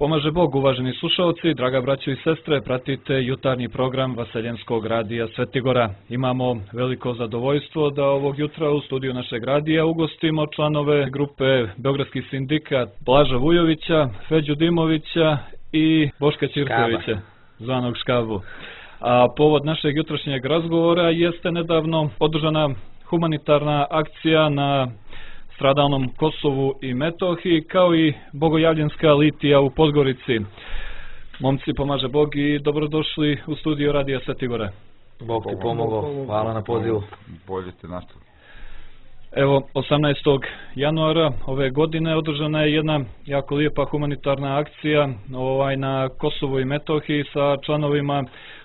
Pomaže Bog, uvaženi slušalci, draga braćo i sestre, pratite jutarnji program Vaseljenskog radija Svetigora. Imamo veliko zadovoljstvo da ovog jutra u studiju našeg radija ugostimo članove grupe Beogradski sindikat Blaža Vujovića, Feđu Dimovića i Boška Ćirkovića, zvanog Škabu. A povod našeg jutrošnjeg razgovora jeste nedavno održana humanitarna akcija na stradalnom Kosovu i Metohiji, kao i bogojavljenska litija u Podgorici. Momci, pomaže Bog i dobrodošli u studio radija Svetigora. Bog ti pomogao, hvala na pozivu. Bolje te nastavili. Evo, 18. januara ove godine održana je jedna jako lijepa humanitarna akcija na Kosovu i Metohiji sa članovima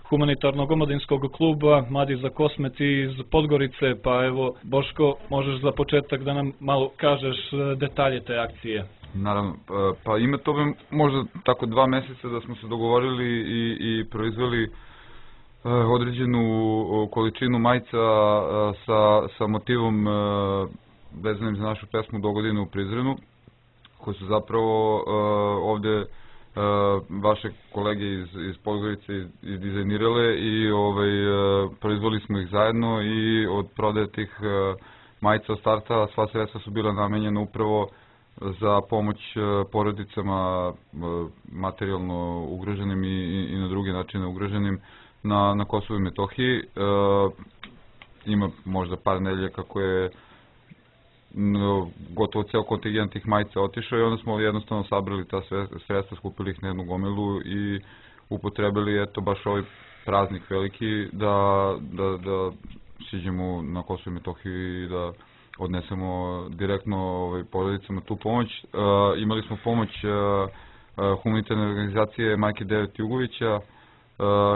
humanitarnog omladinskog kluba Mladi za Kosmet iz Podgorice. Pa evo, Boško, možeš za početak da nam malo kažeš detalje te akcije? Naravno, pa ima to možda tako 2 mjeseca da smo se dogovorili i proizveli određenu količinu majica sa motivom vezanim za našu pesmu Dogodine u Prizrenu, koje su zapravo ovdje vaše kolege iz Podgorice izdizajnirale i proizveli smo ih zajedno i od prodaje tih majica od starta sva sredstva su bila namenjena upravo za pomoć porodicama materijalno ugroženim i na druge načine ugroženim na Kosovu i Metohiji. Ima možda par nedelja kako je gotovo ceo kontingent tih majica otišao i onda smo jednostavno sabrali ta sredstva, skupili ih na jednu gomilu i upotrebili eto baš ovaj praznik veliki da siđemo na Kosovo i Metohiju i da odnesemo direktno porodicama tu pomoć. Imali smo pomoć humanitarne organizacije Majke Devet Jugovića,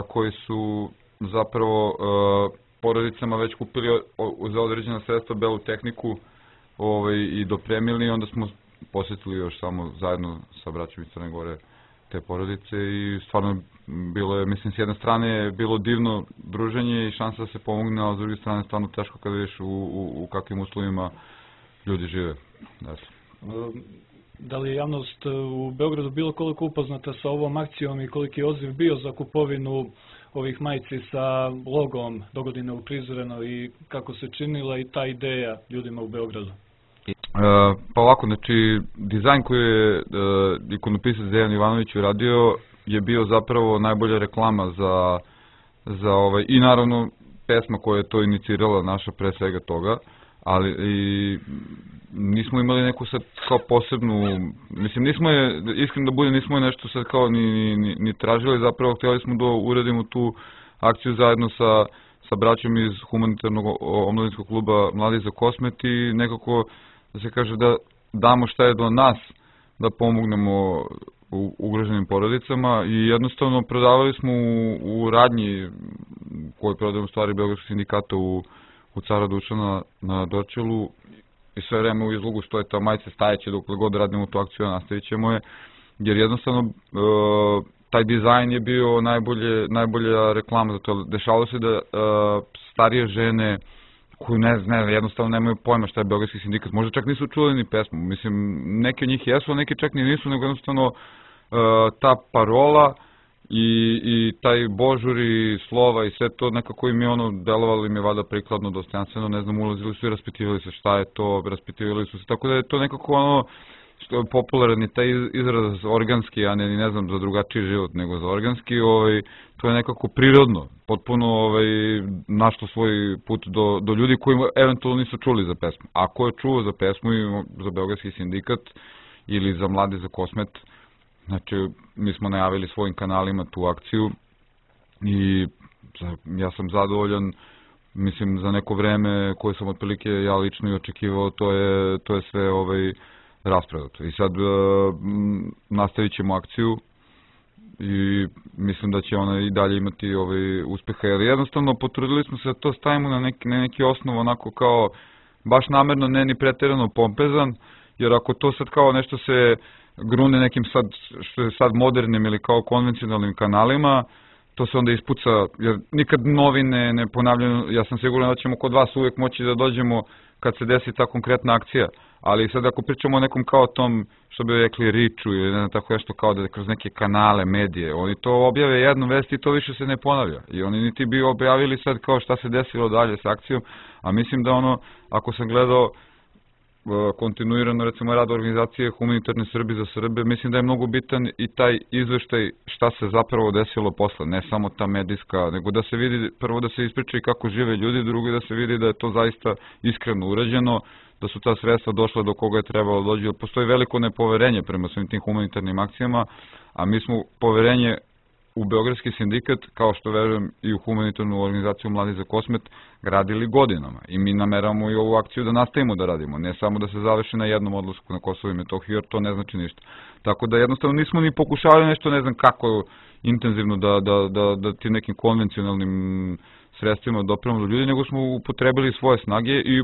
koji su zapravo porodicama već kupili za određena sredstva belu tehniku i dopremili, onda smo posjetili još samo zajedno sa braćom iz Crne Gore te porodice i stvarno bilo je, mislim, s jedne strane bilo divno druženje i šansa da se pomogne, a s druge strane stvarno teško kada vidiš u kakvim uslovima ljudi žive. Da li je javnost u Beogradu bilo koliko upoznata sa ovom akcijom i koliki je odziv bio za kupovinu ovih majici sa logom Dogodine u Prizrenu i kako se činila i ta ideja ljudima u Beogradu? Pa ovako, znači, dizajn koji je ikonopisac Dejan Ivanović uradio je bio zapravo najbolja reklama za i naravno pesma koja je to inicirala naša pre svega toga, ali i nismo imali neku sad kao posebnu, mislim nismo je, iskreno da bude, nismo je nešto sad kao ni tražili, zapravo htjeli smo da uradimo tu akciju zajedno sa braćom iz humanitarnog omladinskog kluba Mladi za Kosmet i nekako da se kaže da damo šta je do nas da pomognemo ugroženim porodicama i jednostavno prodavali smo u radnji koju prodajemo stvari Beogradskog sindikata u Cara Dušana na Dorčelu i sve vreme u izlogu stoje ta majica stajeće dokle god radimo tu akciju, nastavit ćemo je, jer jednostavno taj dizajn je bio najbolja reklama za to. Dešavalo se da starije žene koji jednostavno nemaju pojma šta je Beogradski sindikat, možda čak nisu čuli ni pesmu, mislim, neki od njih jesu, a neki čak ni nisu, nego jednostavno ta parola i taj božur i slova i sve to nekako im je delovalo im je valjda prikladno, dostojanstveno, ne znam, ulazili su i raspitivali se šta je to, raspitivali su se, tako da je to nekako što je popularan i taj izraz organski, a ne znam za drugačiji život nego za organski, to je nekako prirodno, potpuno našlo svoj put do ljudi koji eventualno nisu čuli za pesmu. Ako je čuo za pesmu i za Beogradski sindikat ili za Mladi za Kosmet, znači mi smo najavili svojim kanalima tu akciju i ja sam zadovoljan, mislim za neko vreme koje sam otprilike ja lično i očekivao, to je sve rasprodato. I sad nastavit ćemo akciju i mislim da će ona i dalje imati uspeha, jer jednostavno potrudili smo se da to stavimo na neki osnov onako kao baš namerno, ne ni pretjerano pompezan, jer ako to sad kao nešto se grune nekim što je sad modernim ili kao konvencionalnim kanalima, to se onda ispuca, jer nikad novine ne ponavljaju. Ja sam siguran da ćemo kod vas uvijek moći da dođemo kad se desi ta konkretna akcija. Ali sad ako pričamo o nekom kao tom, što bi rekli, riču ili ne znam, tako nešto kao da kroz neke kanale, medije, oni to objave jednu vest i to više se ne ponavlja. I oni niti bi objavili sad kao šta se desilo dalje s akcijom, a mislim da ono, ako sam gledao kontinuirano recimo rad organizacije Humanitarne Srbi za Srbe, mislim da je mnogo bitan i taj izveštaj šta se zapravo desilo posle, ne samo ta medijska, nego da se vidi, prvo da se ispriča i kako žive ljudi, drugo da se vidi da je to zaista iskreno urađeno, da su ta sredstva došla do koga je trebalo dođe. Postoji veliko nepoverenje prema svim tim humanitarnim akcijama, a mi smo poverenje u Beogradski sindikat, kao što verujem i u humanitarnu organizaciju Mladi za Kosmet, gradili godinama. I mi nameramo i ovu akciju da nastavimo da radimo, ne samo da se završi na jednom odlasku na Kosovo i Metohiju, jer to ne znači ništa. Tako da jednostavno nismo ni pokušavali nešto, ne znam kako intenzivno da ti nekim konvencionalnim sredstvima dopremo do ljudi, nego smo upotrebili svoje snage i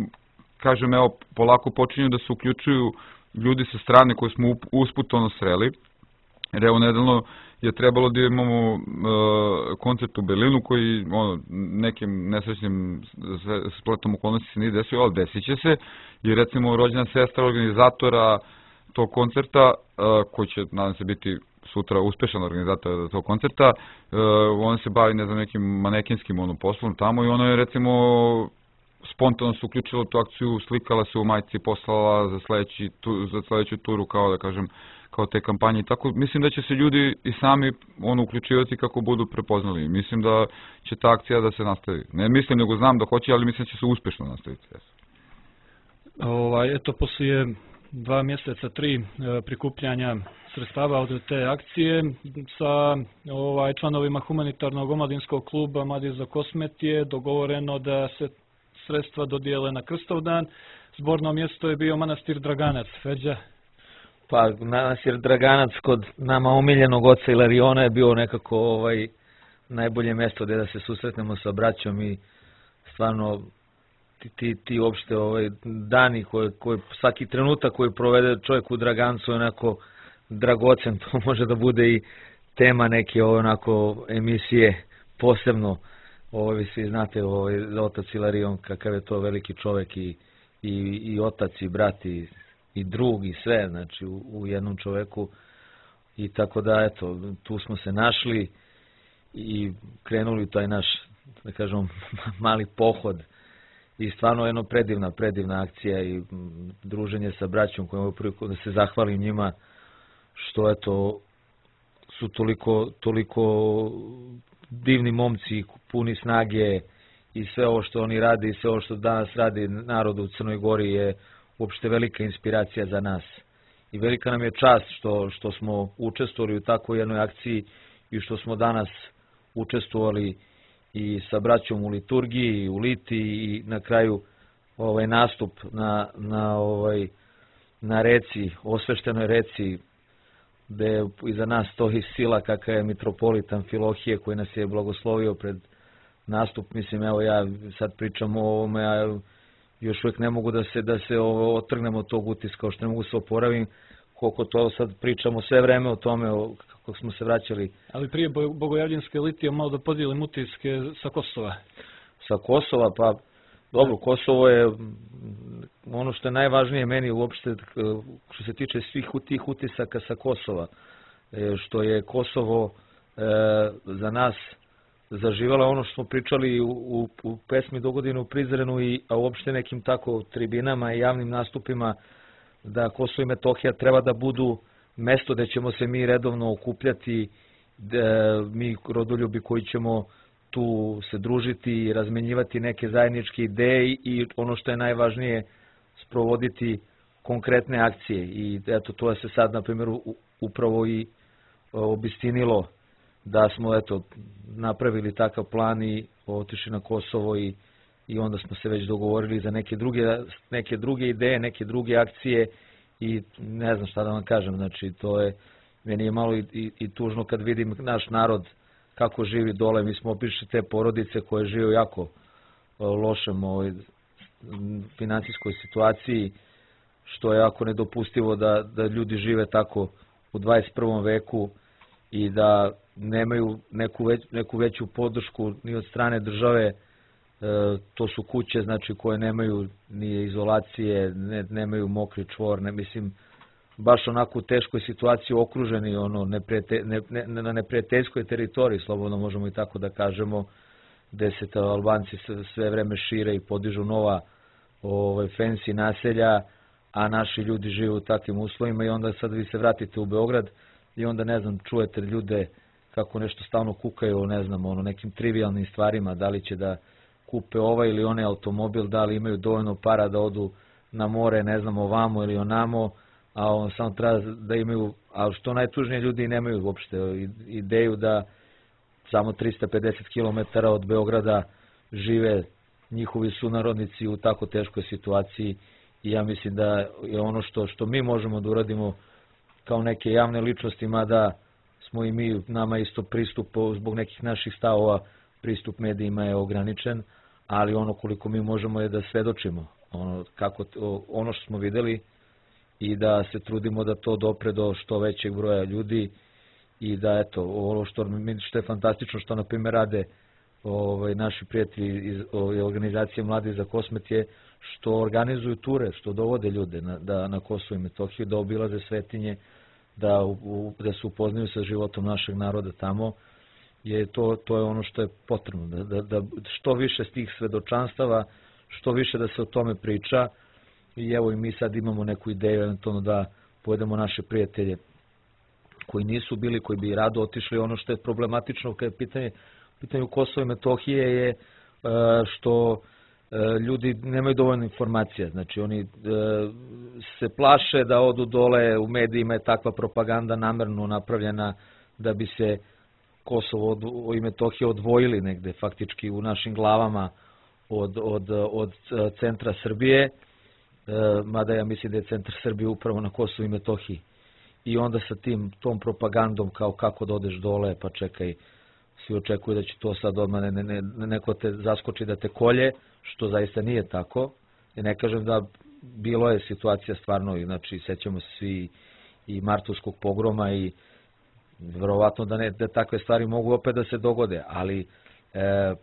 kažem, evo, polako počinju da se uključuju ljudi sa strane koje smo usput sreli, jer evo, nedavno je trebalo da imamo koncert u Berlinu koji nekim nesrećnim spletom okolnosti se nije desio, ali desit će se, i recimo rođena sestra organizatora tog koncerta, koji će, nadam se, biti sutra uspešan organizator tog koncerta, ona se bavi, ne znam, nekim manekinskim poslom tamo i ona je, recimo, spontano se uključila u tu akciju, slikala se u majici, poslala za sledeću turu, kao da kažem, kao te kampanje. Tako, mislim da će se ljudi i sami uključivati kako budu prepoznali. Mislim da će ta akcija da se nastavi. Ne mislim, nego znam da hoće, ali mislim da će se uspešno nastaviti. Eto, poslije 2 mjeseca, 3 prikupljanja sredstava od te akcije sa članovima humanitarnog omladinskog kluba Mladi za Kosmet je dogovoreno da se sredstva dodijele na Krstovdan. Zborno mjesto je bio manastir Draganac. Feđa? Pa manastir Draganac kod nama omiljenog oca Ilariona je bio nekako najbolje mjesto gdje da se susretnemo sa braćom i stvarno ti uopšte dani svaki trenutak koji provede čovjek u Dragancu je onako dragocen. To može da bude i tema neke emisije posebno. Vi svi znate otac Ilarion, kakav je to veliki čovjek i otac i brat i drug i sve, znači u jednom čovjeku. I tako da, eto, tu smo se našli i krenuli u taj naš, da kažem, mali pohod. I stvarno jedno predivna akcija i druženje sa braćom kojom priliku da se zahvalim njima što, eto, su toliko divni momci, puni snage i sve ovo što oni rade i sve ovo što danas radi narod u Crnoj Gori je uopšte velika inspiracija za nas. I velika nam je čast što smo učestvovali u takvoj jednoj akciji i što smo danas učestvovali i sa braćom u liturgiji, u liti i na kraju nastup na reci, osveštenoj reci, gde iza nas stoji sila kakva je mitropolit Amfilohije koji nas je blagoslovio pred nastup. Mislim, evo ja sad pričam o ovome, a još uvijek ne mogu da se otrgnemo od tog utiska, kao što ne mogu se oporavim, koliko to sad pričamo sve vreme o tome, kako smo se vraćali. Ali prije bogojavljanske litije malo da podijelim utiske sa Kosova. Sa Kosova, pa dobro, Kosovo je ono što je najvažnije meni uopšte što se tiče svih tih utisaka sa Kosova, što je Kosovo za nas zaživjela ono što smo pričali u pesmi Dogodine u Prizrenu, a uopšte nekim tako tribinama i javnim nastupima, da Kosovo i Metohija treba da budu mesto gde ćemo se mi redovno okupljati, mi rodoljubi koji ćemo tu se družiti i razmenjivati neke zajedničke ideje i ono što je najvažnije, sprovoditi konkretne akcije. I eto, to je se sad, na primjer, upravo i obistinilo da smo, eto, napravili takav plan i otišli na Kosovo i onda smo se već dogovorili za neke druge ideje, neke druge akcije i ne znam šta da vam kažem, znači to je, meni je malo i tužno kad vidim naš narod kako živi dole. Mi smo obišli te porodice koje žive u jako lošem financijskoj situaciji, što je jako nedopustivo da ljudi žive tako u 21. veku i da nemaju neku veću podršku ni od strane države to su kuće znači koje nemaju ni izolacije, nemaju mokri čvor, mislim baš onako u teškoj situaciji okruženi na neprijateljskoj teritoriji, slobodno možemo i tako da kažemo, gde se Albanci sve vreme šire i podižu nova fancy naselja, a naši ljudi žive u takvim uslovima i onda sad vi se vratite u Beograd i onda ne znam, čujete ljude kako nešto stalno kukaju, ne znam, nekim trivialnim stvarima, da li će da kupe ovaj ili onaj automobil, da li imaju dovoljno para da odu na more, ne znam, ovamo ili onamo, a samo treba da imaju, a što najtužnije, ljudi nemaju uopšte ideju da samo 350 km od Beograda žive njihovi sunarodnici u tako teškoj situaciji i ja mislim da je ono što mi možemo da uradimo kao neke javne ličnosti, mada smo i mi, nama isto pristup zbog nekih naših stavova, pristup medijima je ograničen, ali ono koliko mi možemo je da svedočimo ono što smo videli i da se trudimo da to dopre do što većeg broja ljudi i da eto, ono što je fantastično što na primjer rade naši prijatelji iz organizacije Mladi za Kosmet je što organizuju ture, što dovode ljude na Kosovo i Metohiju, da obilaze svetinje, da se upoznaju sa životom našeg naroda tamo, to je ono što je potrebno, da što više s tih svedočanstava, što više da se o tome priča i evo i mi sad imamo neku ideju eventualno da povedemo naše prijatelje koji nisu bili, koji bi rado otišli. Ono što je problematično kada je pitanju Kosova i Metohije je što ljudi nemaju dovoljno informacija, znači oni se plaše da odu dole, u medijima je takva propaganda namerno napravljena da bi se Kosovo i Metohija odvojili negde faktički u našim glavama od centra Srbije, mada ja mislim da je centar Srbije upravo na Kosovu i Metohiji. I onda sa tom propagandom kao kako da odeš dole, pa čekaj, svi očekuju da će to sad odmah neko te zaskoči da te kolje, što zaista nije tako. I ne kažem da bilo je situacija stvarno, znači sećamo se svi i martovskog pogroma i verovatno da takve stvari mogu opet da se dogode, ali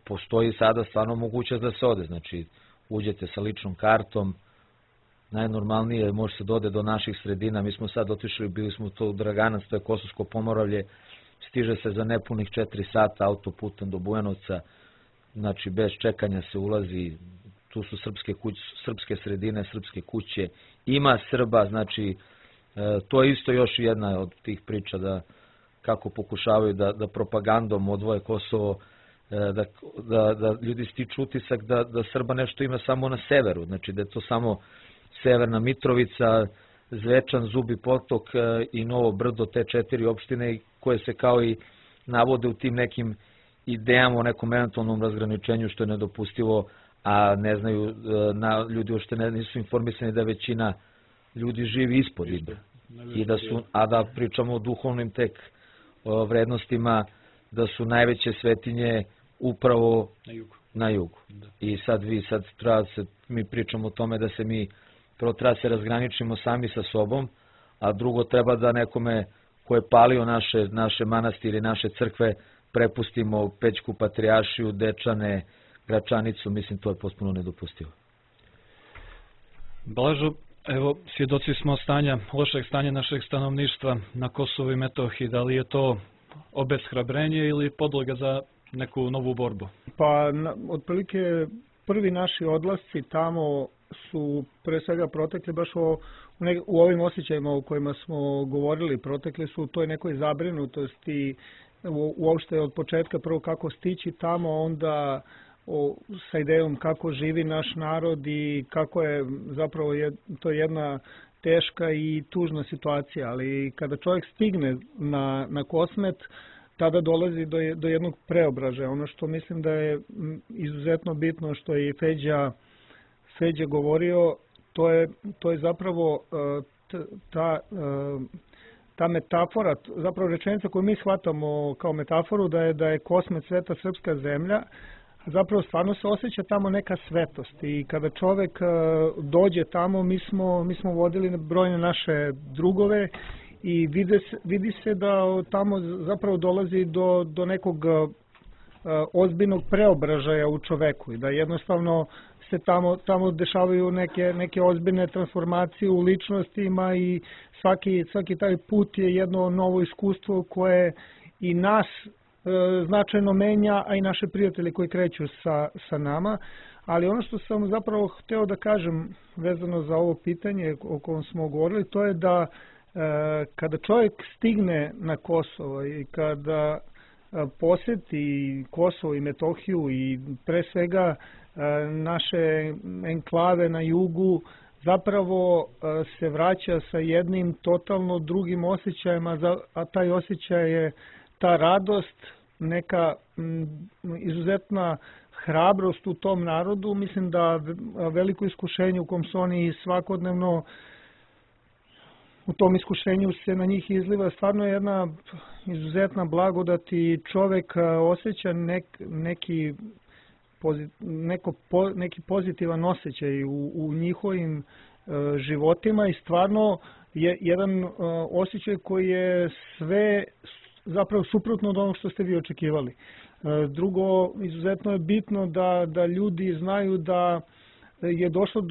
postoji sada stvarno mogućnost da se ode, znači uđete sa ličnom kartom, najnormalnije može se dode do naših sredina, mi smo sad otišli, bili smo to u Draganac, to je Kosovsko Pomoravlje, stiže se za nepunih 4 sata autoputom do Bujanovca, znači bez čekanja se ulazi, tu su srpske sredine, srpske kuće, ima Srba, znači to je isto još jedna od tih priča da kako pokušavaju da propagandom odvoje Kosovo, da ljudi stiču utisak da Srba nešto ima samo na severu, znači da je to samo Severna Mitrovica, Zvečan, Zubi Potok i Novo Brdo, te 4 opštine koje se kao i navode u tim nekim idejama o nekom eventualnom razgraničenju što je nedopustivo, a ne znaju, ljudi uopšte nisu informisani da većina ljudi živi ispod Ibra. A da pričamo o duhovnim tek vrednostima, da su najveće svetinje upravo na jugu. I sad mi pričamo o tome da se mi prvo treba se razgraničimo sami sa sobom, a drugo treba da nekome ko je palio naše manastire, naše crkve, prepustimo Pećku patrijaršiju, Dečane, Gračanicu, mislim to je potpuno nedopustivo. Blažo, evo, svjedoci smo lošeg stanja našeg stanovništva na Kosovu i Metohiji, da li je to obeshrabrenje ili podloga za neku novu borbu? Pa, otprilike prvi naši odlasci tamo su pre svega protekli baš u ovim osjećajima o kojima smo govorili, protekli su u toj nekoj zabrinutosti, uopšte od početka prvo kako stići tamo, onda sa idejom kako živi naš narod i kako je zapravo to je jedna teška i tužna situacija, ali kada čovjek stigne na Kosmet, tada dolazi do jednog preobražaja. Ono što mislim da je izuzetno bitno što je i Feđa govorio, to je zapravo ta metafora, zapravo rečenica koju mi shvatamo kao metaforu da je Kosmet sveta srpska zemlja, zapravo stvarno se osjeća tamo neka svetost i kada čovek dođe tamo, mi smo vodili brojne naše drugove i vidi se da tamo zapravo dolazi do nekog ozbiljnog preobražaja u čoveku i da jednostavno se tamo dešavaju neke ozbiljne transformacije u ličnostima i svaki taj put je jedno novo iskustvo koje i nas značajno menja, a i naše prijatelje koji kreću sa nama. Ali ono što sam zapravo hteo da kažem vezano za ovo pitanje o kojem smo govorili, to je da kada čovjek stigne na Kosovo i kada poseti Kosovo i Metohiju i pre svega naše enklave na jugu, zapravo se vraća sa jednim totalno drugim osjećajima, a taj osjećaj je ta radost, neka izuzetna hrabrost u tom narodu. Mislim da veliko iskušenje u kom su oni svakodnevno, u tom iskušenju se na njih izliva stvarno jedna izuzetna blagodat i čovek osjeća neki pozitivan osjećaj u njihovim životima i stvarno je jedan osjećaj koji je sve zapravo suprotno od onog što ste vi očekivali. Drugo, izuzetno je bitno da ljudi znaju da je došlo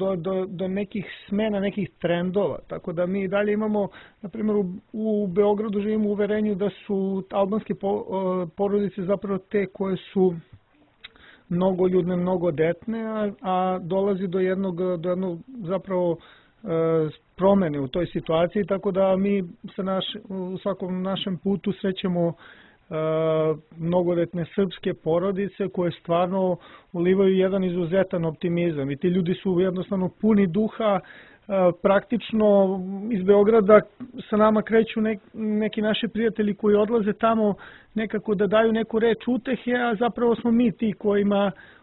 do nekih smena, nekih trendova. Tako da mi dalje imamo, na primjer u Beogradu živimo u uverenju da su albanske porodice zapravo te koje su mnogoljudne, mnogodetne, a dolazi do jednog zapravo promene u toj situaciji, tako da mi u svakom našem putu srećemo mnogodetne srpske porodice koje stvarno ulivaju jedan izuzetan optimizam i ti ljudi su jednostavno puni duha. Praktično iz Beograda sa nama kreću neki naši prijatelji koji odlaze tamo nekako da daju neku reč utehe, a zapravo smo mi ti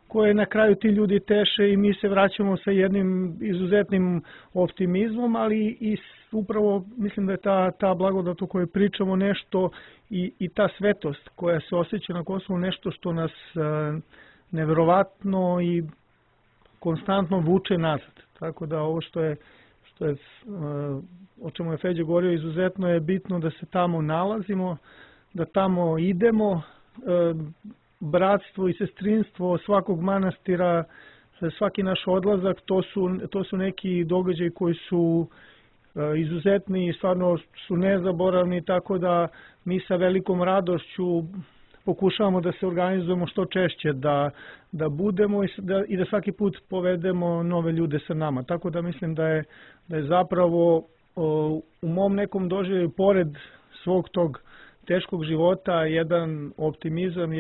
koje na kraju ti ljudi teše i mi se vraćamo sa jednim izuzetnim optimizmom, ali i upravo mislim da je ta blagodat o kojoj pričamo nešto i ta svetost koja se osjeća na Kosovu nešto što nas neverovatno i konstantno vuče nazad. Tako da ovo što je o čemu je Feđa govorio, izuzetno je bitno da se tamo nalazimo, da tamo idemo, bratstvo i sestrinstvo svakog manastira, svaki naš odlazak, to su neki događaji koji su izuzetni i stvarno su nezaboravni, tako da mi sa velikom radošću pokušavamo da se organizujemo što češće, da budemo i da svaki put povedemo nove ljude sa nama. Tako da mislim da je zapravo u mom nekom doživljaju, pored svog tog teškog života, jedan optimizam,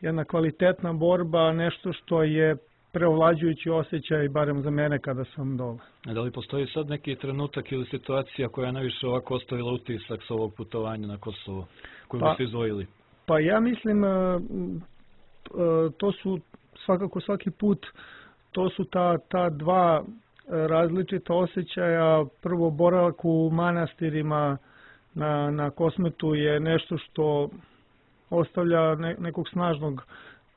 jedna kvalitetna borba, nešto što je preovlađujući osjećaj, barem za mene kada sam dole. Da li postoji sad neki trenutak ili situacija koja je najviše ovako ostavila utisak s ovog putovanja na Kosovo, koju biste izdvojili? Pa ja mislim, to su svakako svaki put, to su ta dva različita osjećaja. Prvo, boravak u manastirima na Kosmetu je nešto što ostavlja nekog snažnog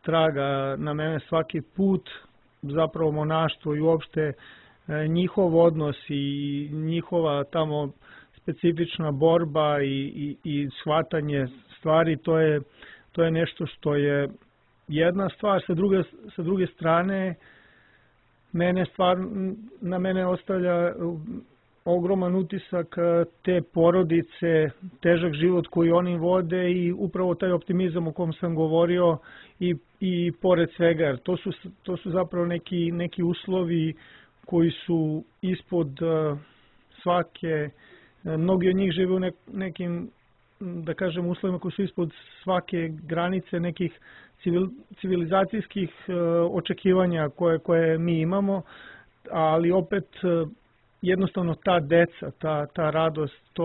traga na mene svaki put. Zapravo monaštvo i uopšte njihov odnos i njihova tamo specifična borba i shvatanje stvari, to je nešto što je jedna stvar. Sa druge strane, na mene ostavlja ogroman utisak te porodice, težak život koji oni vode i upravo taj optimizam o kom sam govorio i pored svega, jer to su zapravo neki uslovi koji su ispod svake, mnogi od njih žive u nekim, da kažem, uslovima koji su ispod svake granice nekih civilizacijskih očekivanja koje mi imamo, ali opet jednostavno ta deca, ta radost,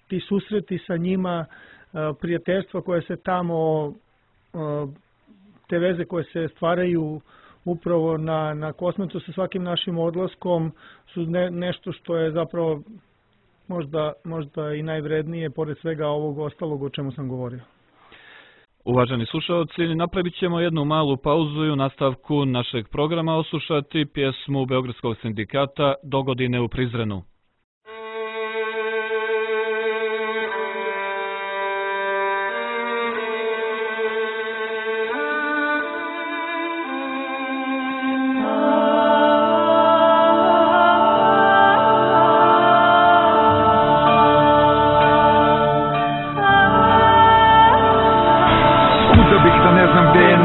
ti susreti sa njima, prijateljstva koje se tamo, te veze koje se stvaraju upravo na Kosmetu sa svakim našim odlaskom su nešto što je zapravo možda i najvrednije pored svega ovog ostalog o čemu sam govorio. Uvaženi slušalci, napravit ćemo jednu malu pauzu i u nastavku našeg programa oslušati pjesmu Beogradskog sindikata Dogodine u Prizrenu.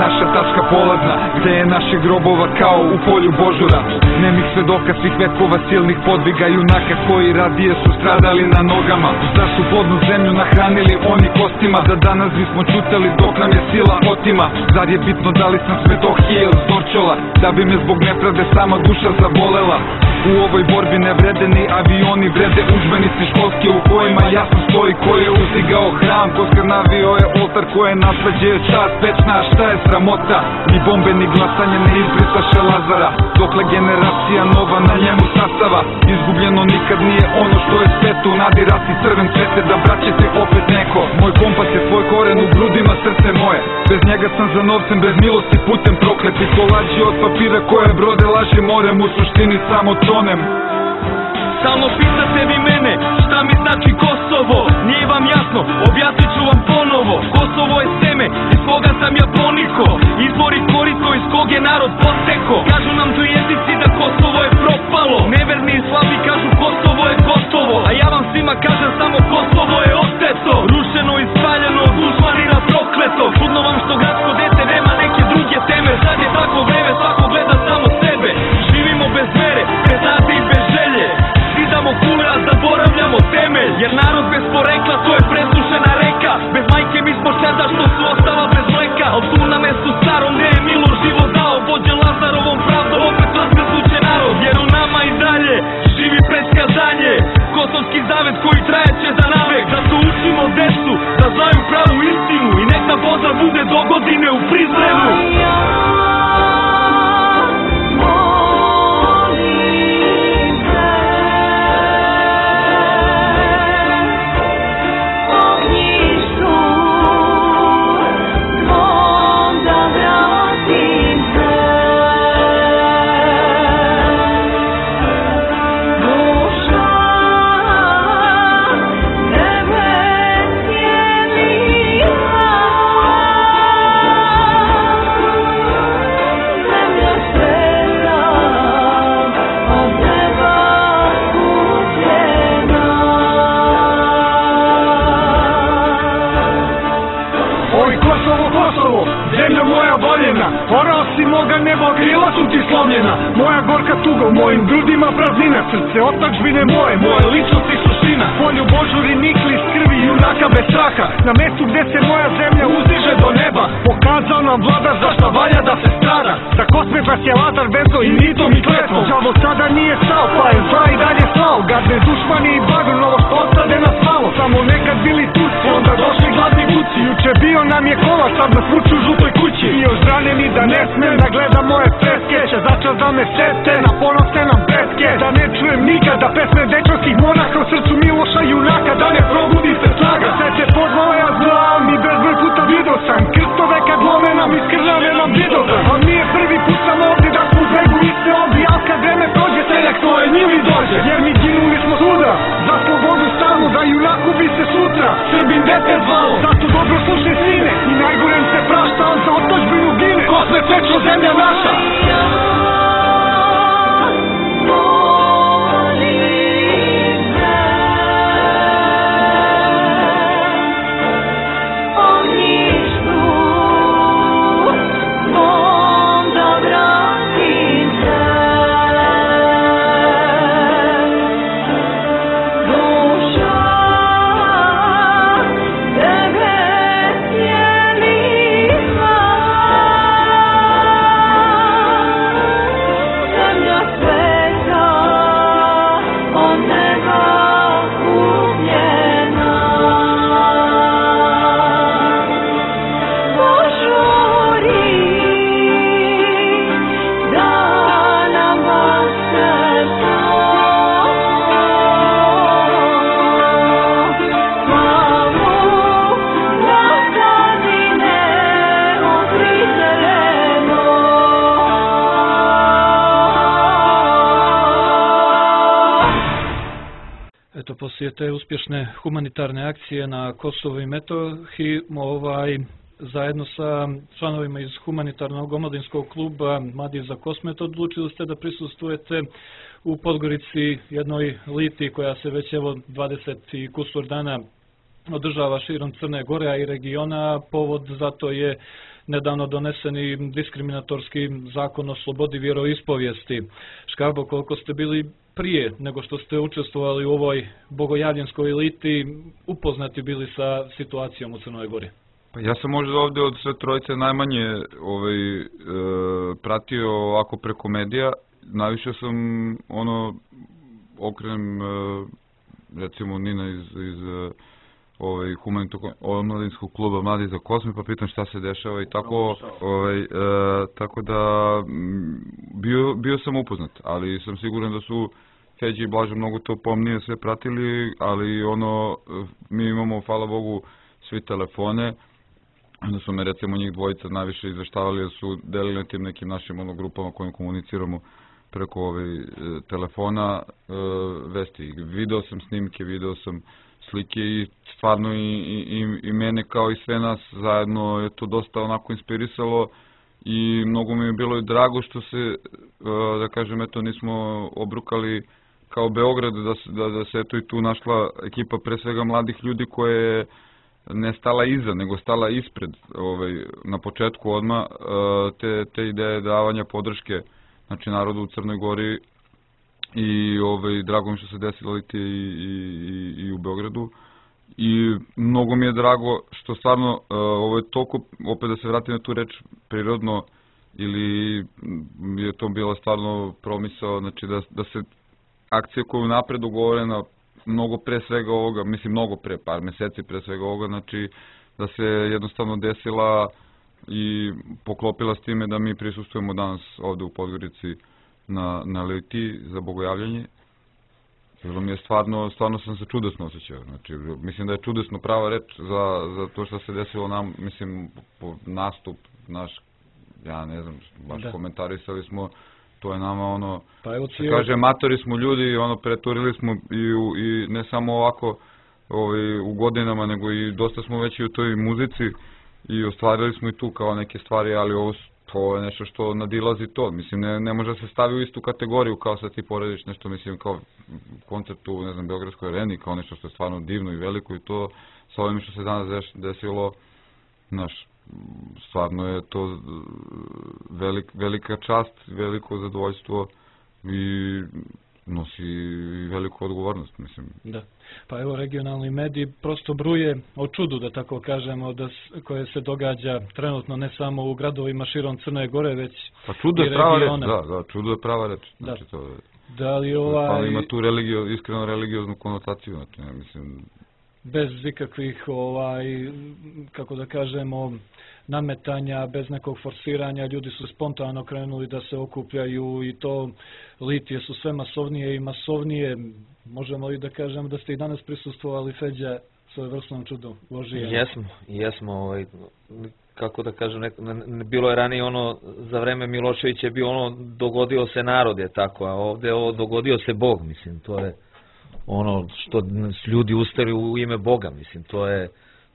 naša tačka polazna, gde je naše grobova kao u polju Božura. Nemih svedoka svih vekova silnih podviga junaka koji radije su stradali na nogama. Zašto plodnu zemlju nahranili oni kostima, da danas bismo čutali dok nam je sila otima. Zar je bitno da li sam Svetohije ili Zorčola, da bi me zbog nepravde sama duša zavolela. U ovoj borbi ne vrede ni avioni, vrede udžbenici školski u kojima jasno stoji ko je uzdigao hram, ko skrnavio je oltar, ko je nasleđe čast večna, šta je sramota. Ni bombe ni glasanje ne izbrisaše Lazara, dokle generacija nova na njemu sastava. Izgubljeno nikad nije ono što je sveto, u nadi rasti crven cvete da braće se opet neko. Moj kompas je svoj koren u grudima srce moje, bez njega sam za novcem, bez milosti putem proklet. I to lađi od papira koje brode laže morem, u suštini samo tonem. Samo pitate vi mene, šta mi znači Kosovo? Nije vam jasno, objasnit ću vam ponovo. Kosovo je seme, iz koga sam ja poniko, izvor i korito iz kog je narod poteko. Kažu nam tu jezici da Kosovo je propalo, neverni i slabi kažu Kosovo je gotovo. A ja vam svima kažem samo Kosovo je oteto, rušeno i spaljeno od dušmanina prokleto. Čudno vam što gradsko dete nema neke druge teme. Sad je tako vreme, svako gleda samo sebe. Živimo bez vere, bez nade i bez želje, skidamo kule a zaboravljamo temelj. Jer narod bez porekla to je presušena reka, bez majke mi smo čeda što su ostala bez mleka. Al tu na mestu starom gde je Miloš život dao, vođen Lazarovom pravdom opet raskasuće narod. Jer u nama i dalje živi predskazanje, kosovski zavet koji trajeće za navek. Zato učimo decu da znaju pravu istinu i nek nam pozdrav bude do godine u Prizrenu. Orao si moga neba, krila su ti slomljena. Moja gorka tuga, u mojim grudima praznina. Srce otadžbine moje, moje ličnost i suština. Polju Božuri nikli iz krvi junaka bez straha, na mestu gde se moja zemlja uzdiže do neba. Pokazao nam vladar zašto valja da se strada, za Kosmetas je Lazar vezo i nitom i kletvom. Đavo sada nije stao, pa je zla i dalje slao. Gadne dušmani i bagr, novo što ostade nas malo. Samo nekad bili Turci, onda došli gladni guci. Juče bio nam je kola, sad nas vuču u žutoj kući. I još ranjeni da ne smem da gledam moje freske, će začas da me sete, na ponosne nam pretke. Da ne čujem nikada pesme dečanskih monaka u srcu Miloša junaka, da ne probudi se snaga. Sve će pozvao ja znam i bezbroj puta vidio sam krstove kad lome nam iz krvave nam vidova. A nije prvi put sam ovdje da smo u bregu i se ovdje, al kad vreme prođe seljak svoje njili dođe. Jer mi ginuli smo svuda, za slobodu stanu, da junaku bi se sutra Srbin dete zvalo. Zato dobro slušaj sine, i najgorem se prašta, on za otadžbinu gine. Kosme pečno zemlja naša. Poslije te uspješne humanitarne akcije na Kosovu i Metohiji, zajedno sa članovima iz humanitarnog omladinskog kluba Mladi za Kosmet odlučili ste da prisustvujete u Podgorici jednoj liti koja se već 20 i kusur dana održava širom Crne Gore, a i regiona. Povod za to je nedavno doneseni diskriminatorski zakon o slobodi vjeroispovijesti. Škarbo, koliko ste bili prije nego što ste učestvovali u ovoj bogojavljenskoj eliti upoznati bili sa situacijom u Crnoj Gori? Pa ja sam možda ovdje od sve trojice najmanje pratio ovako preko medija. Najviše sam okrenem recimo Nina iz omladinskog kluba Mladi za Kosme, pa pitam šta se dešava i tako, tako da bio sam upoznat, ali sam siguran da su Feđi i Blaža mnogo to pomnije sve pratili, ali mi imamo, hvala Bogu, svi telefone, onda su me recimo njih dvojica najviše izveštavali da su delili na tim nekim našim grupama kojim komuniciramo preko telefona vesti. Video sam snimke, video sam slike i stvarno i mene kao i sve nas zajedno je to dosta onako inspirisalo i mnogo mi je bilo i drago što se, da kažem, eto nismo obrukali kao Beograd, da se eto i tu našla ekipa pre svega mladih ljudi koje je ne stala iza, nego stala ispred na početku odmah te ideje davanja podrške znači narodu u Crnoj Gori i drago mi što se desilo i u Beogradu i mnogo mi je drago što stvarno ovo je toliko, opet da se vratim na tu reč, prirodno ili je to bila stvarno promisao, znači da se akcija koju napred dogovorena mnogo pre svega ovoga, mislim mnogo pre, par meseci pre svega ovoga, znači da se jednostavno desila i poklopila s time da mi prisustujemo danas ovde u Podgorici na Liti za bogojavljanje. Bilo mi je stvarno sam se čudesno osjećao. Znači, mislim da je čudesno prava reč za to što se desilo nam, mislim, nastup naš, ja ne znam, baš komentarisali smo, to je nama se kaže, matori smo ljudi, preturili smo i ne samo ovako u godinama, nego i dosta smo već i u toj muzici i ostvarili smo i tu kao neke stvari, ali to je nešto što nadilazi to. Mislim, ne može da se stavi u istu kategoriju kao sad ti porediš nešto, mislim, kao koncert u, ne znam, Beogradskoj areni, kao nešto što je stvarno divno i veliko i to sa ovim što se danas desilo, znaš, stvarno je to velika čast, veliko zadovoljstvo i nosi veliku odgovornost, mislim. Da. Pa evo, regionalni mediji prosto bruje o čudu, da tako kažemo, koje se događa trenutno ne samo u gradovima širom Crne Gore, već pa čudo je prava reč, da, čudo je prava reč. Znači, to da li ima tu iskreno religioznu konotaciju, znači, mislim. Bez ikakvih, kako da kažemo, nametanja, bez nekog forsiranja, ljudi su spontano krenuli da se okupljaju i to litije su sve masovnije i masovnije. Možemo li da kažem da ste i danas prisustvovali, Feđa, svojevrsnom čudu Božije? Jesmo, kako da kažem, bilo je ranije za vreme Miloševića je bio dogodio se narod je tako, a ovde dogodio se Bog, mislim, to je što ljudi ustali u ime Boga, mislim,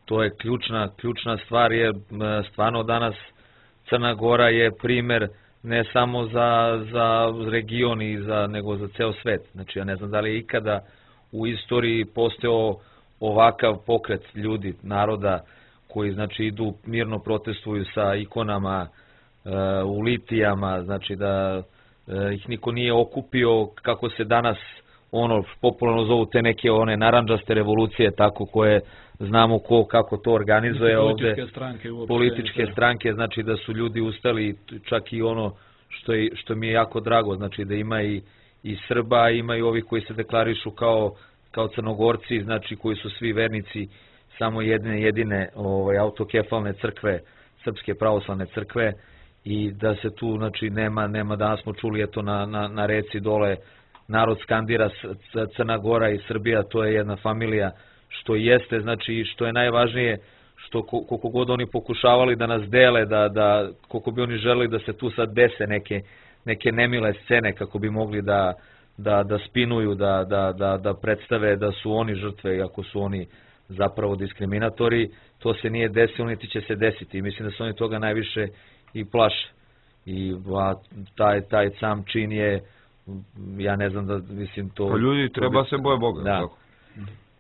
to je ključna stvar, jer stvarno danas Crna Gora je primer ne samo za region nego za ceo svet. Znači, ja ne znam da li je ikada u istoriji postojao ovakav pokret ljudi, naroda, koji znači idu mirno protestuju sa ikonama u litijama, znači da ih niko nije okupio kako se danas popularno zovu te neke narandžaste revolucije, tako koje znamo kako to organizuje ovde. Političke stranke, znači da su ljudi ustali, čak i što mi je jako drago, znači da ima i Srba, ima i ovih koji se deklarišu kao Crnogorci, znači koji su svi vernici samo jedine autokefalne crkve, Srpske pravoslavne crkve, i da se tu, znači, nema, danas smo čuli, eto, na reci dole, narod skandira Crna Gora i Srbija, to je jedna familija, što jeste, znači, i što je najvažnije, što koliko god oni pokušavali da nas dele, koliko bi oni želeli da se tu sad dese neke nemile scene, kako bi mogli da spinuju, da predstave da su oni žrtve, iako su oni zapravo diskriminatori, to se nije desilo, niti će se desiti. I mislim da se oni toga najviše i plaše. I taj sam čin je, ja ne znam da, mislim to... Pa ljudi treba se boje Boga. Da.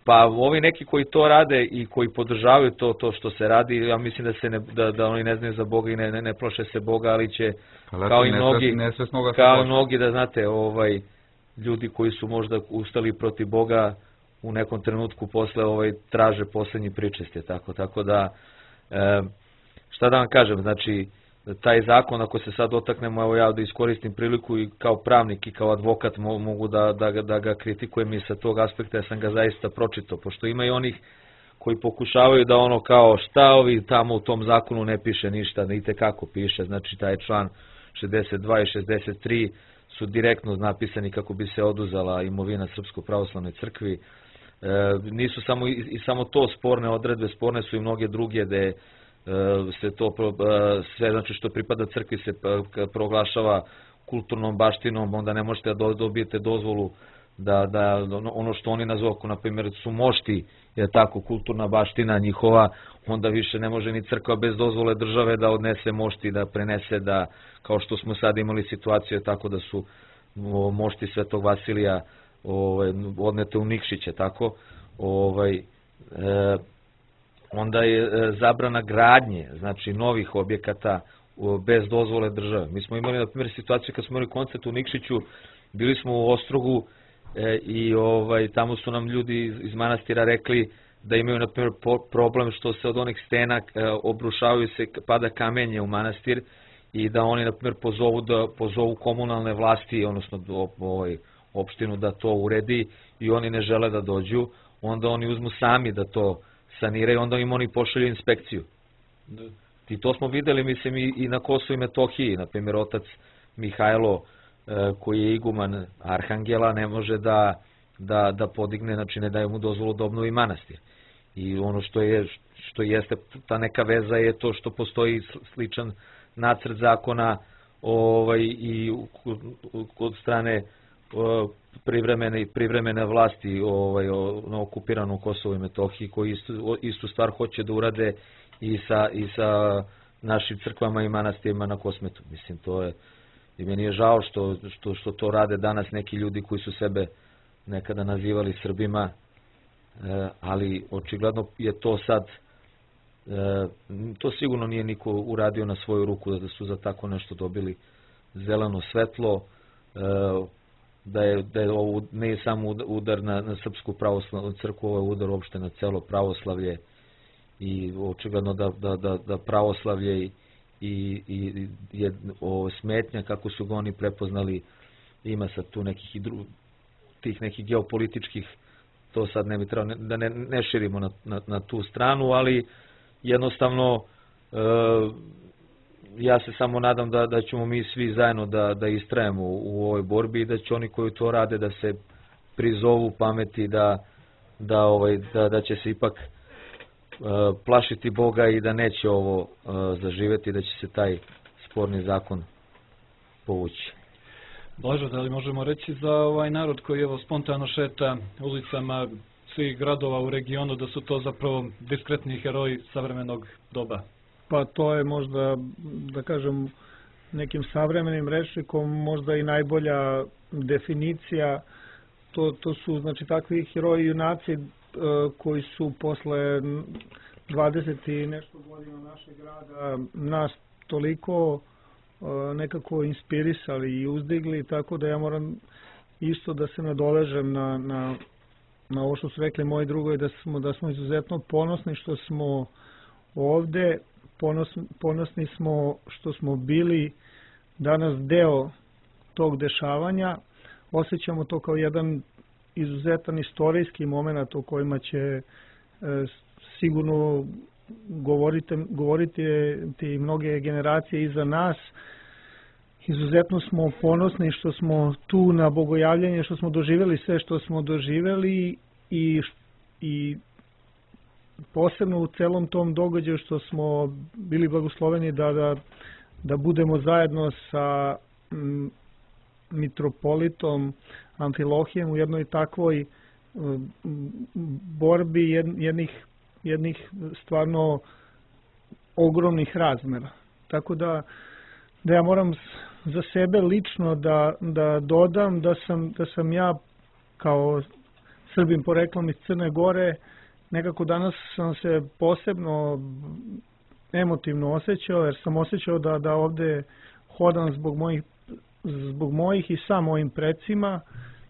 Pa ovi neki koji to rade i koji podržavaju to što se radi, ja mislim da se da oni ne znaju za Boga i ne plaše se Boga, ali će kao i mnogi da znate, ljudi koji su možda ustali protiv Boga u nekom trenutku posle traže poslednji pričest, tako da šta da vam kažem, znači taj zakon, ako se sad dotaknemo, evo ja da iskoristim priliku i kao pravnik i kao advokat mogu da ga kritikujem i sa tog aspekta, ja sam ga zaista pročitao, pošto ima i onih koji pokušavaju da ono kao šta ovi tamo u tom zakonu ne piše ništa, ne itekako piše, znači taj član 62 i 63 su direktno napisani kako bi se oduzela imovina Srpskoj pravoslavnoj crkvi. Nisu samo to sporne odredbe, sporne su i mnoge druge gde se to sve znači što pripada crkvi se proglašava kulturnom baštinom, onda ne možete da dobijete dozvolu da ono što oni nazovu, na primjer su mošti, je tako kulturna baština njihova, onda više ne može ni crkva bez dozvole države da odnese mošti, da prenese, da kao što smo sad imali situaciju tako da su mošti Svetog Vasilija odnete u Nikšiće, tako, onda je zabrana gradnje, znači novih objekata bez dozvole države. Mi smo imali, na primjer, situaciju kad smo imali koncert u Nikšiću, bili smo u Ostrogu i tamo su nam ljudi iz manastira rekli da imaju, na primjer, problem što se od onih stena obrušavaju se, pada kamenje u manastir i da oni, na primjer, pozovu komunalne vlasti, odnosno opštinu da to uredi i oni ne žele da dođu, onda oni uzmu sami da to saniraju, onda im oni pošalju inspekciju. I to smo videli, mislim, i na Kosovu i Metohiji, na primjer, otac Mihajlo, koji je iguman Arhangela, ne može da podigne, znači ne daje mu dozvolu da obnovi manastir. I ono što jeste ta neka veza je to što postoji sličan nacrt zakona i od strane privremene vlasti na okupiranom Kosovu i Metohiji, koji istu stvar hoće da urade i sa našim crkvama i manastirima na Kosmetu. Mislim, to je, i meni je žao što to rade danas neki ljudi koji su sebe nekada nazivali Srbima, ali očigledno je to sad, to sigurno nije niko uradio na svoju ruku da su za tako nešto dobili zeleno svetlo, da je ovo ne samo udar na Srpsku pravoslavnu crkvu, ovo je udar uopšte na celo pravoslavlje i očigledno da pravoslavlje i je smetnja kako su ga oni prepoznali, ima sad tu tih nekih geopolitičkih, to sad ne bi trebalo da ne širimo na tu stranu, ali jednostavno ja se samo nadam da ćemo mi svi zajedno da istrajemo u ovoj borbi i da će oni koji to rade da se prizovu pameti, da će se ipak plašiti Boga i da neće ovo zaživeti, da će se taj sporni zakon povući. Blažo, da li možemo reći za ovaj narod koji evo spontano šeta ulicama svih gradova u regionu da su to zapravo diskretni heroji savremenog doba? Pa to je možda, da kažem, nekim savremenim rečnikom možda i najbolja definicija. To su, znači, takvi heroji i junaci koji su posle 20 i nešto godina našeg grada nas toliko nekako inspirisali i uzdigli, tako da ja moram isto da se nadovežem na ovo što su rekli moji drugovi, da smo izuzetno ponosni što smo ovde, ponosni smo što smo bili danas deo tog dešavanja, osjećamo to kao jedan izuzetan istorijski moment o kojima će sigurno govoriti ti mnoge generacije iza nas. Izuzetno smo ponosni što smo tu na bogojavljanje, što smo doživjeli sve što smo doživjeli i posebno u celom tom događaju što smo bili blagosloveni da budemo zajedno sa mitropolitom Amfilohijem u jednoj takvoj borbi jednih stvarno ogromnih razmera. Tako da ja moram za sebe lično da dodam da sam ja kao Srbin poreklom iz Crne Gore. Nekako danas sam se posebno emotivno osjećao, jer sam osjećao da ovde hodam zbog mojih i sa mojim precima.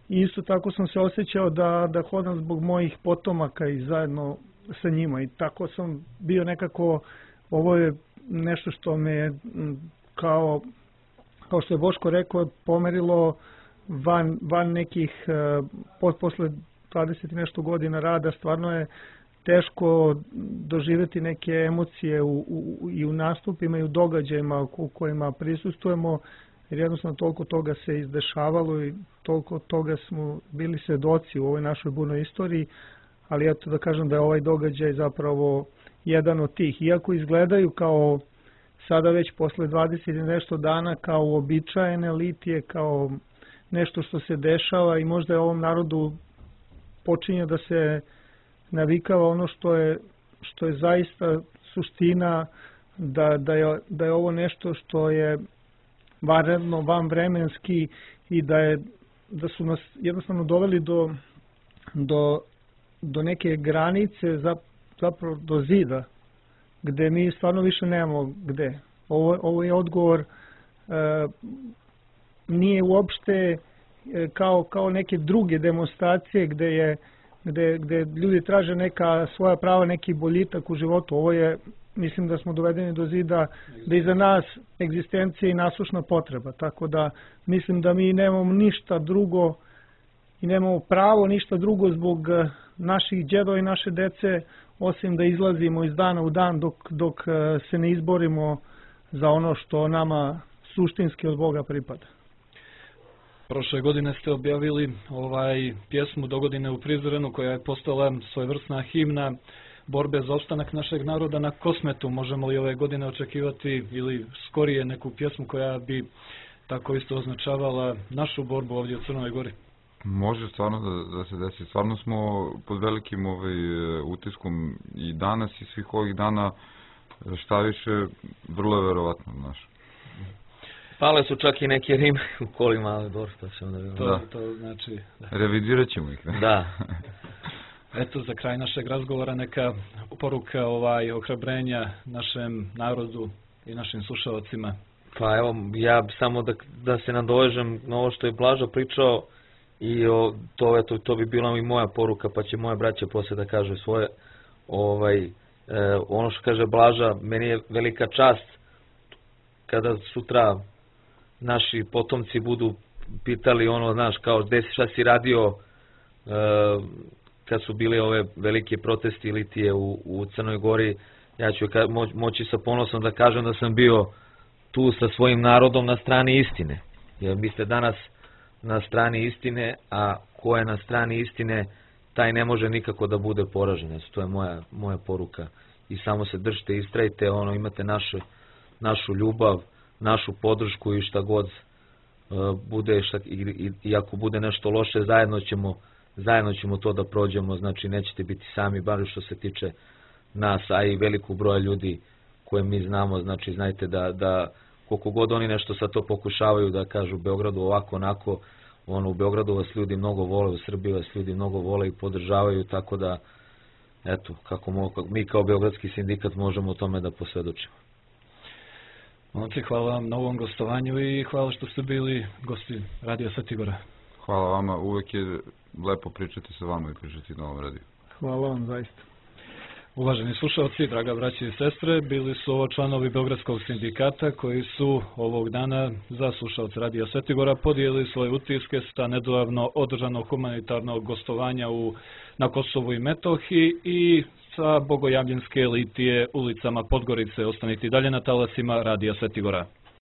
I isto tako sam se osjećao da hodam zbog mojih potomaka i zajedno sa njima. I tako sam bio nekako, ovo je nešto što me kao što je Boško rekao, pomerilo van nekih, posle 20 nešto godina rada, stvarno je teško doživjeti neke emocije i u nastupima i u događajima u kojima prisustujemo, jer jednostavno toliko toga se izdešavalo i toliko toga smo bili svedoci u ovoj našoj burnoj istoriji, ali eto da kažem da je ovaj događaj zapravo jedan od tih. Iako izgledaju kao sada već posle 20 i nešto dana kao uobičajene litije, kao nešto što se dešava i možda je ovom narodu počinje da se navikava ono što je zaista suština, da je ovo nešto što je vanredno, vanvremenski i da su nas jednostavno doveli do neke granice, zapravo do zida, gde mi stvarno više nemamo gde. Ovo je odgovor, nije uopšte kao neke druge demonstracije gde ljudi traže neka svoja prava, neki boljitak u životu. Ovo je, mislim da smo dovedeni do zida, da je za nas egzistencija i nasušna potreba. Tako da mislim da mi nemamo ništa drugo i nemamo pravo ništa drugo zbog naših djedova i naše dece, osim da izlazimo iz dana u dan dok se ne izborimo za ono što nama suštinski od Boga pripada. Prošle godine ste objavili pjesmu Dogodine u Prizrenu, koja je postala svojevrsna himna borbe za opstanak našeg naroda na Kosmetu. Možemo li ove godine očekivati ili skorije neku pjesmu koja bi tako isto označavala našu borbu ovdje u Crnoj Gori? Može stvarno da se desi. Stvarno smo pod velikim utiskom i danas i svih ovih dana, šta više, vrlo je verovatno naš. Pale su čak i neke rime u kolima, ali dobro, to ćemo da vidimo. To znači... Revidirat ćemo ih. Da. Eto, za kraj našeg razgovora neka poruka ohrabrenja našem narodu i našim slušalcima. Pa evo, ja samo da se nadovežem na ovo što je Blaža pričao i to bi bila i moja poruka, pa će moje braće posle da kažu svoje. Ono što kaže Blaža, meni je velika čast kada sutra naši potomci budu pitali ono, znaš, kao šta si radio kad su bili ove velike protesti litije u Crnoj Gori, ja ću moći sa ponosom da kažem da sam bio tu sa svojim narodom na strani istine. Jer vi ste danas na strani istine, a ko je na strani istine, taj ne može nikako da bude poražen. To je moja poruka. I samo se držite, istrajte, imate našu ljubav, našu podršku i šta god bude, i ako bude nešto loše, zajedno ćemo to da prođemo, znači nećete biti sami, bar što se tiče nas, a i velikog broja ljudi koje mi znamo, znači znajte da koliko god oni nešto sa to pokušavaju da kažu u Beogradu ovako, onako, u Beogradu vas ljudi mnogo vole, u Srbiji vas ljudi mnogo vole i podržavaju, tako da, eto, kako mi kao Beogradski sindikat možemo o tome da posvedočimo. Momci, hvala vam na ovom gostovanju i hvala što ste bili gosti Radija Sveti Gora. Hvala vama, uvek je lepo pričati sa vama i pričati na ovom radiju. Hvala vam, zaista. Uvaženi slušalci, draga braći i sestre, bili su ovo članovi Beogradskog sindikata koji su ovog dana za slušalce Radija Sveti Gora podijelili svoje utiske sa nedavno održanog humanitarnog gostovanja na Kosovu i Metohiji i sa bogojavljenske litije ulicama Podgorice. Ostanite dalje na talasima Radija Sveti Gora.